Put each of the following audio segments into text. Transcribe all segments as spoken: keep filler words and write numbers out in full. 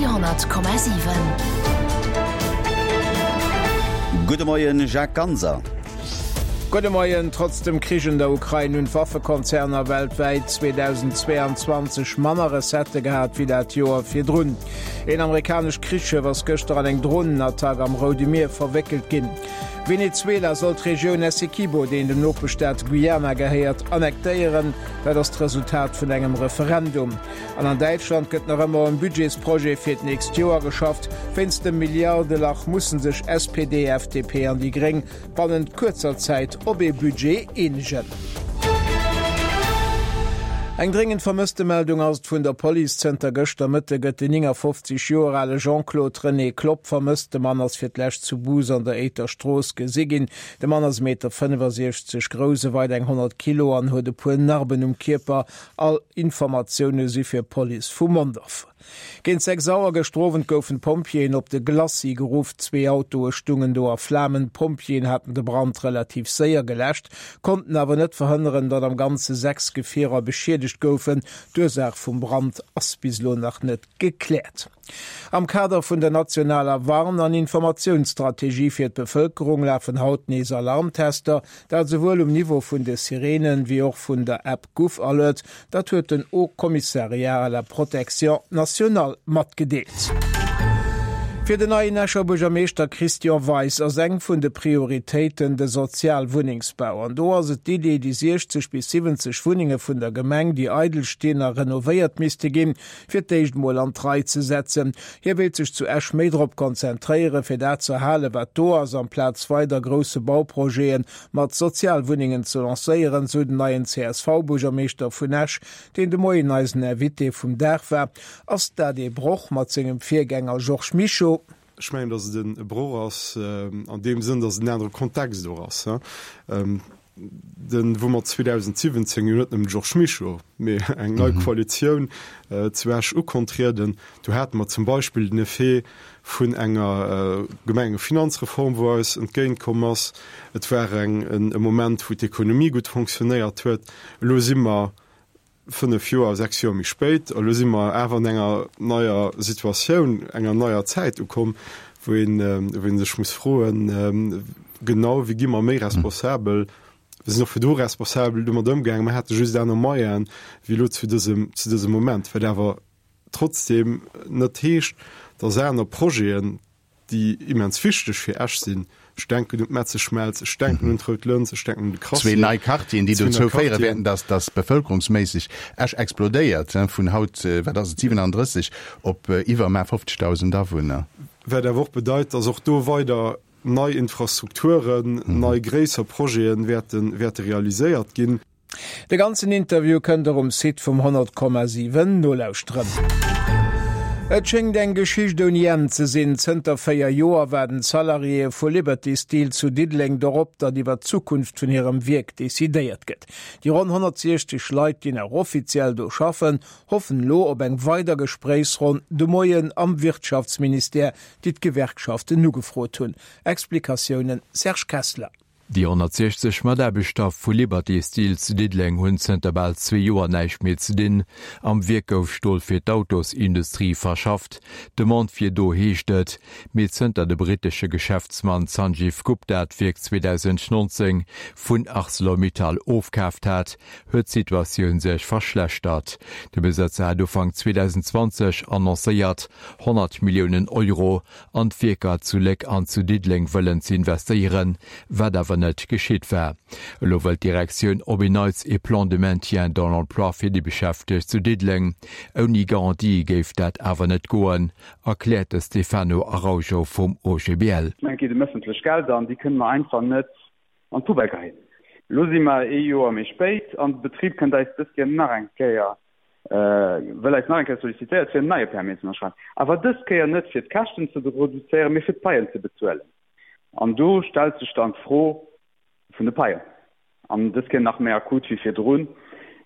Radio honnert Komma siwen. Gudde Moien Jacques Ganser. Gudde Moien. Trotz dem Krich an der Ukrain hunn d'Waffekonzerner weltwäit zweedausendzweeanzwanzeg manner Recettë gehat wéi dat Joer virdrun. Een amerikanescht Krichschëff ass gëschter an eng Dronenattack am Roude Mier verwéckelt ginn. Venezuela soll d'Regioun Essequibo, déi dem Nopeschstaat Guyana gehéiert, annektéieren. Dat ass d'Resultat vun engem Referendum. An an Däitschland gëtt nach ëmmer um Budgetsprojet fir d'nächst Joer geschafft. Wéinst dem Milliardelach musse sech S P D, F D P an déi Gréng bannent kuerzer Zäit op ee Budget eenegen. Eng dréngend Vermësstemeldung ass et vun der Police. Zënter gëschter Mëtte gëtt den néngafofzeg Joer ale Jean-Claude René Klopp vermësst. De Mann ass fir d'lescht zu Bous an der Éiter Strooss gesi ginn. De Mann ass e Meter fënnefasiechzeg grouss, e weit eng honnert Kilo an huet e puer Narben um Kierper. All Informatioune si fir Police vu Mondorf. Géint sechs Auer gëschter Owend goufen d'Pompjeeën op de Glacis geruff. Zwee Autoe stungen do a Flamen. D'Pompjeeën haten de Brand relativ séier geläscht, konnten awer net verhënneren, datt am Ganze sechs Gefierer beschiedegt goufen. D'Ursaach vum Brand ass bis elo nach net gekläert. Am Kader vun der nationaler Warn an Informatiounsstrategie fir d'Bevëlkerung lafen haut nees Alarmtester, dat souwuel um Niveau vun de Sireenen, wéi och vun der App GouvAlert. Dat huet den Haut Commissariat à la protection nationale matgedeelt. Fir den neien Escher Buergermeeschter Christian Weis ass eng vun de Prioritéiten de Sozialwunnengsbau. An do ass et d'Idee, déi siechzeg bis siwwenzeg Wunnenge vun der Gemeng, déi eidel stinn a renovéiert misste ginn, fir d'éischt mol an d'Rei ze setzen. Hie wéilt sech zu Esch méi drop konzentréieren, fir dat ze erhalen, wat do ass, amplaz weider grousse Bauprojete mat Sozialwunnengen ze lancéieren, sou den neien C S V-Buergermeeschter vun Esch, deen de Moien eisen Invité vum Dag war. Ass dat ee Broch mat sengem Virgänger Georges Mischo? Ech mengen, datt et e Broch ass an deem Sënn, datt et en anere Kontext och ass. Den, wou mer zweedausendsiwwenzéng jo net nëmmen de Georges Mischo, mee eng nei Koalitioun zu Esch ukontrieden, do hate mer zum Beispill den Effet vun enger Gemengefinanzreform, wou eis entgéintkomm ass. Et war eng e Moment, wou d'Ekonomie gutt fonctionnéiert huet. Elo si mer fënnef Joer, sechs Joer méi spéit, elo si mer awer an enger neier Situatioun, enger neier Zäit ukomm, wou een, wou een sech muss froen, genau, wéi gi mer méi responsabel? Mir sinn och virdru responsabel domat ëmgaangen, mer hate just aner Moyenen wéi elo zu dësem, zu dësem Moment, wat awer trotzdem net heescht, dass aner Projeten, déi immens wichteg fir Esch sinn, ech denken un d'Metzeschmelz, ech denken un d'Rout Lëns, ech denken un de Crassier. Zwee nei Quartieren, déi dozou féiere wäerten, dass dass bevëlkerungsméisseg Esch explodéiert, vun haut, wat ass et, siwenandrësseg op iwwer mä fofzegdausend Awunner. Wat awer och bedeit, dass och do weider nei Infrastrukturen, nei gréisser Projete wäerten, wäerte realiséiert ginn. De ganzen Interview kënnt der um Site vum honnert Komma siwen nolauschteren. Et schéngt eng Geschicht ouni Enn ze sinn. Zënter véier Joer waarden d'Salariéë vu Liberty Steel zu Diddeleng dorop, datt iwwer d'Zukunft vun hirem Wierk decidéiert gëtt. Déi ronn honnertsiechzeg Leit, déi nach offiziell do schaffen, hoffen elo op eng weider Gespréichsronn de Moien am Wirtschaftsministère, déi d'Gewerkschaften ugefrot hunn. Explikatiounen Serge Kessler. Déi honnertsiechzeg Mataarbechter vu Liberty Steel zu Diddeleng hunn zënter bal zwee Joer näischt méi ze dinn. Am Wierk gouf Stol fir d'Autosindustrie verschafft. D'Demande wier do, heescht et. Mee zënter de brittesche Geschäftsmann Sanjeev Gupta d'Wierk zweedausendnonzéng vun Arcelor-Mittal ofkaaft hat, huet d'Situatioun sech verschlechtert. De Besëtzer hat Ufank zweedausendzwanzeg annoncéiert, honnert Milliounen Euro an d'Wierker zu Léck an zu Diddeleng wëllen ze investéieren, wat awer net geschitt war. Elo wëllt d'Direktioun op en Neits e Plan de maintien dans l'emploi fir déi Beschäftegt zu Diddeleng. Ouni Garantie géif dat awer net goen, erkläert de Stefano Araujo vum O G B L. Et geet ëm ëffentlech Gelder an déi kënne mer einfach net an d'Poubelle geheien. Elo si mer ee Joer méi spéit an de Betrib kënnt eis dës Kéier nach eng Kéier, wëll eis nach eng Kéier sollicitéiert, fir en neie Permis ze ënnerschreiwen. Awer dës Kéier net fir d'Käschten ze reduzéieren, mee fir d'Paien ze bezuelen. An do stellt sech dann d'Fro vun de Paien, an dës Kéier nach méi akut wéi virdrun.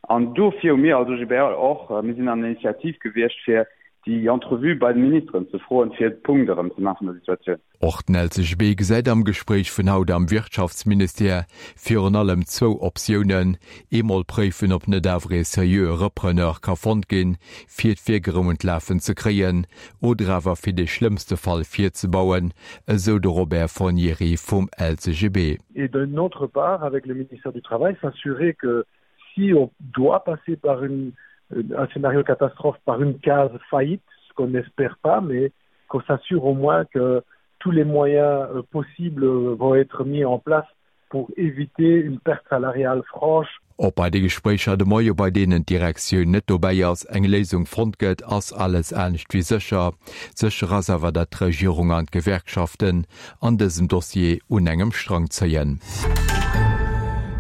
An dofir hu mir als O G B L och, mir sinn an der Initiativ gewiescht, fir déi Entrevue bei de Ministeren ze froen, fir de Punkt erëm ze maachen vun der Situatioun. Och den LCGB gesäit am Gespréich vun haut am Wirtschaftsministère virun allem zwou Optiounen, Eemol préifen, ob net awer ee seriöe Repreneur ka fonnt ginn, fir d'Wierk erëm un d'Lafen ze kréien, oder awer fir de schlëmmste Fall virzebauen, esou de Robert Fornieri vum LCGB. Et d'une autre part, avec le ministère du Travail, s'assurer que si on doit passer par une, un scénario catastrophe, par une case faillite, ce qu'on n'espère pas, mais qu'on s'assure au moins que tous les moyens euh, possibles vont être mis en place pour éviter une perte salariale franche. Ob bei de Gespréicher de Moie, bei deenen d'Direktioun net dobäi ass, eng Léisung fonnt gëtt, ass alles anescht wéi sécher. Sécher ass awer, datt d'Regierung an d'Gewerkschaften an dësem Dossier un engem Strang zéien.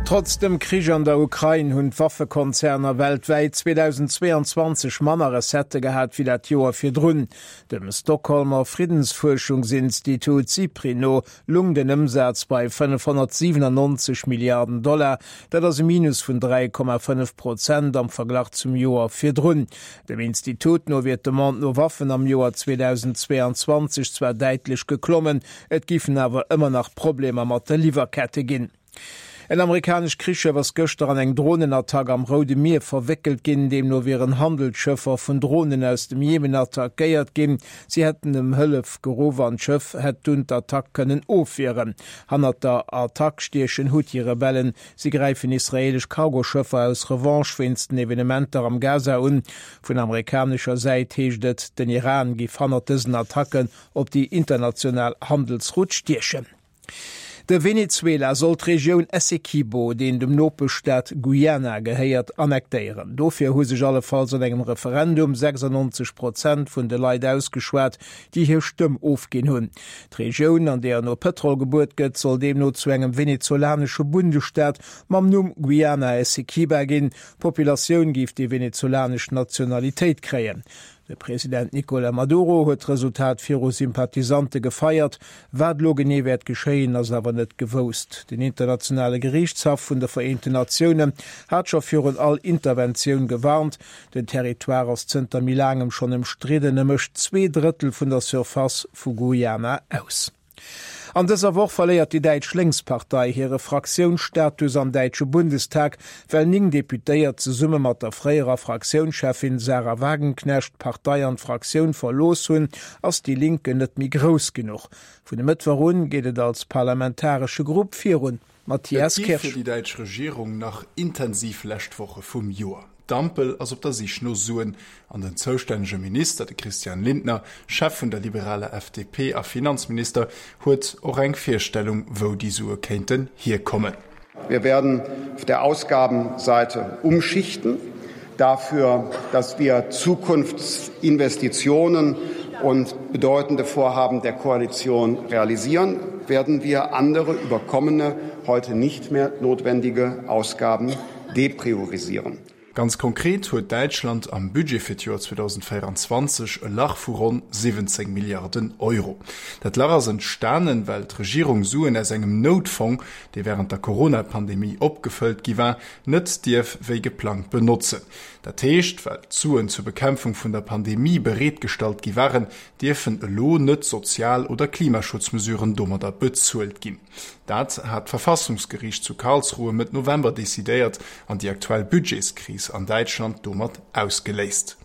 Trotz dem Krich an der Ukrain hunn d'Waffekonzerner weltwäit zweedausendzweeanzwanzeg manner Recettë gehat wéi dat Joer virdrun. Dem Stockholmer Friddensfuerschungsinstitut SIPRI no lung den Ëmsaz bei fënnefhonnertsiwenannonzeg Milliarden Dollar. Dat ass e Minus vun dräi Komma fënnef Prozent am Verglach zum Joer virdrun. Dem Institut no wier d'Demande no Waffen am Joer zweedausendzweeanzwanzeg zwar däitlech geklommen, et géifen awer ëmmer nach Problemer mat de Liwwerkette ginn. En amerikanescht Krichschëff ass gëschter an eng Dronenattack am Roude Mier verwéckelt ginn. Deemno wieren Handelsschëffer vun Dronen aus dem Jemen attackéiert ginn. Si hätten ëm Hëllef geruff an d'Schëff hätt dunn d'Attack kënnen ofwieren. Hannert der Attack stiechen Huthi-Rebellen. Si gräifen israeelesch Cargoschëffer aus Revanche wéinst den Evenementer am Gaza un. Vun amerikanescher Säit heescht et, den Iran géif hannert dësen Attacken op déi international Handelsroute stiechen. De Venezuela soll d'Regioun Essequibo, deen dem Nopeschstaat Guyana gehéiert, annektéieren. Dofir hu sech allefalls an engem Referendum sechsannonzeg Prozent vun de Leit ausgeschwat, déi hir Stëmm ofginn hunn. D'Regioun, an deeër no Pëtrol gebuert gëtt, soll deemno zu engem venezolanesche Bundesstaat mam Numm Guyana Essequiba ginn. D'Populatioun géif déi venezolanesch Nationalitéit kréien. De President Nicolas Maduro huet d'Resultat viru Sympathisante gefeiert. Wat elo genee wäert geschéien, ass awer net gewousst. Den Internationale Geriichtshaff vun de Vereenten Natiounen hat scho virun all Interventioun gewarnt. Den Territoire ass zënter méi laangem schonn ëmstridden e mécht zwee Drëttel vun der Surface vu Guyana aus. An dëser Woch verléiert déi däitsch Lénkspartei hire Fraktiounsstatus am däitsche Bundestag, well néng Deputéiert zesumme mat der fréierer Fraktiounscheffin Sahra Wagenknecht d'Partei an d'Fraktioun verlooss hunn, ass Die Linke net méi grouss genuch. Vun e Mëttwoch un geet et als parlamentaresche Grupp virun. Matthias Et gi fir Kirsch. déi däitsch Regierung nach intensiv lescht Woche vum Joer. D'Ampel ass op der Sich no Suen an den zoustännege Minister, de Christian Lindner, Chef vun der liberaler F D P a Finanzminister, huet och eng Virstellung, wou déi Sue kéinten hierkommen. Wir werden auf der Ausgabenseite umschichten, dafür, dass wir Zukunftsinvestitionen und bedeutende Vorhaben der Koalition realisieren, werden wir andere überkommene, heute nicht mehr notwendige Ausgaben depriorisieren. Ganz konkret huet Däitschland am Budget fir d'Joer zweedausendvéieranzwanzeg e Lach vu ronn siwwenzéng Milliarden Euro. Dat Lach ass entstanen, well d'Regierung Suen aus engem Noutfong, dee wärend der Corona-Pandemie opgefëllt gi war, net dierf wéi geplangt benotzen. Dat heescht, well d'Suen zur Bekämpfung vun der Pandemie bereetgestallt gi waren, dierfen elo net Sozial oder Klimaschutzmesuren domadder bezuelt ginn. Dat hat d'Verfassungsgeriicht zu Karlsruhe Mëtt November decidéiert an déi aktuell Budgetskris an Däitschland domat ausgeléist.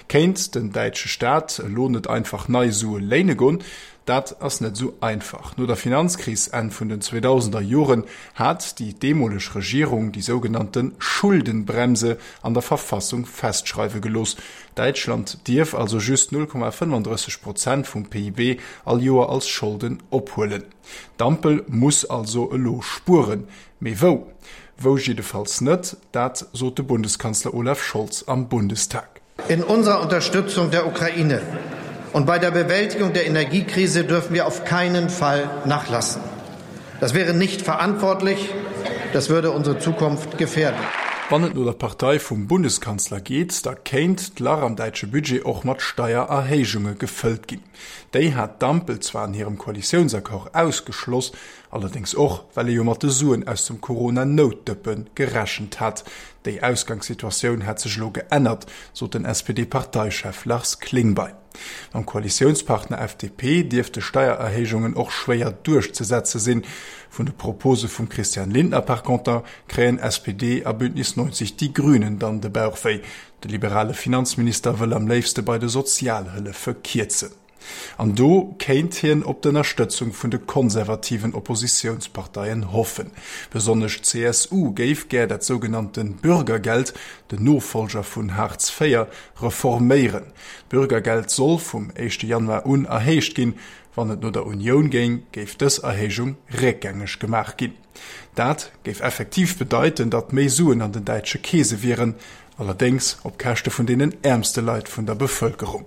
Kéint den däitsche Staat elo net einfach nei Sue léine goen? Dat ass net esou einfach. No der Finanzkris Enn vun den zweedausender Joren hat déi deemoleg Regierung déi sougenannte Schuldenbremse an der Verfassung festschreiwe gelooss. Däitschland dierf also just null Komma fënnefandrësseg Prozent vum P I B all Joer als Scholden ophuelen. D'Ampel muss also elo spueren. Mee wou? Wou jiddefalls net, dat sot de Bundeskanzler Olaf Scholz am Bundestag. In unserer Unterstützung der Ukraine und bei der Bewältigung der Energiekrise dürfen wir auf keinen Fall nachlassen. Das wäre nicht verantwortlich, das würde unsere Zukunft gefährden. Wann et no der Partei vum Bundeskanzler geet, da kéint d'Lach am däitsche Budget och mat Steiererhéijunge gefëllt ginn. Déi hat d'Ampel zwar an hirem Koalitiounsaccord ausgeschloss, allerdéngs och, well ee jo mat de Suen aus dem Corona-Noutdëppe gerechent hat. Déi Ausgangssituatioun hätt sech elo geännert, sot den S P D-Parteichef Lars Klingbeil. Mam Koalitiounspartner F D P dierfte Steiererhéijungen och schwéier duerchzesetze sinn. Vun de Propose vum Christian Lindner par conter kréien S P D a Bündnis neunzig Die Grünen dann de Bauch wéi. De liberale Finanzminister wëll am léifste bei de Sozialhëllefe kierzen. An do kéint hien op d'Ënnerstëtzung vun de konservativen Oppositiounsparteien hoffen. Besonnesch d'C S U géif gär dat sougenannte Bürgergeld, den Nofollger vun Hartz véier, reforméieren. D'Bürgergeld soll vum éischte Januar un erhéicht ginn. Wann et no der Unioun géing, géif dës Erhéijung réckgängeg gemaach ginn. Dat géif effektiv bedeiten, datt méi Suen an den däitsche Keese wieren, allerdéngs op Käschte vun deenen äermste Leit vun der Bevëlkerung.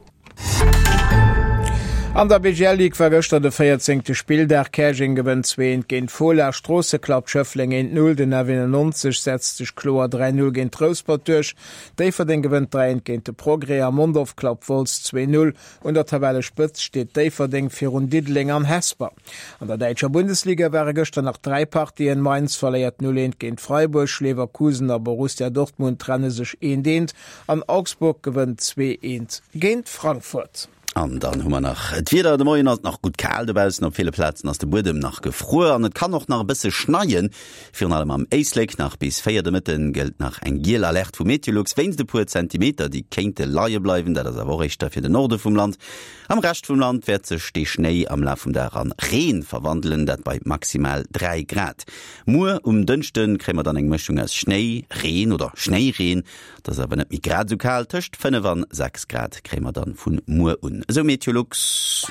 An der B G L Ligue war gëschter de véierzéngte. Spilldag. Käerjeng gewënnt zwee eent géint Fola, Stroosse klappt Schëffleng eent null, den F eenannonzeg setzt sech kloer dräi null géint Rouspert duerch, Déifferdeng gewënnt dräi eent géint de Progrès a Mondorf klappt Wolz zwee null. Un der Tabellespëtzt steet Déifferdeng virun Diddeleng an Hesper. An der däitscher Bundesliga ware gëschter nach dräi Partien. Mainz verléiert null eent géint Freiburg, Leverkusen a Borussia Dortmund trenne sech eent eent an Augsburg gewënnt zwee eent géint Frankfurt. An dann hu mer nach d'Wieder. De Moien ass et nach gutt kal dobaussen, op ville Plazen ass de Buedem nach gefruer an et kann och nach e bësse schneien, virun allem am Éislek. Nach bis véier de Mëtten gëllt nach eng giel Alerte vu Meteolux wéinst e puer Zentimeter, déi kéinte leie bleiwen. Dat ass awer och éischter fir den Norde vum Land. Am Rescht vum Land wäert sech de Schnéi am Laf vum Dag an Reen verwandelen, dat bei maximal dräi Grad. Muer um Dënschde kréie mer dann eng Mëschung aus Schnéi, Reen oder Schnéireen, et ass awer net méi grad esou kal, tëscht fënnef an sechs Grad kréie mer dann vun muer un, esou Meteolux.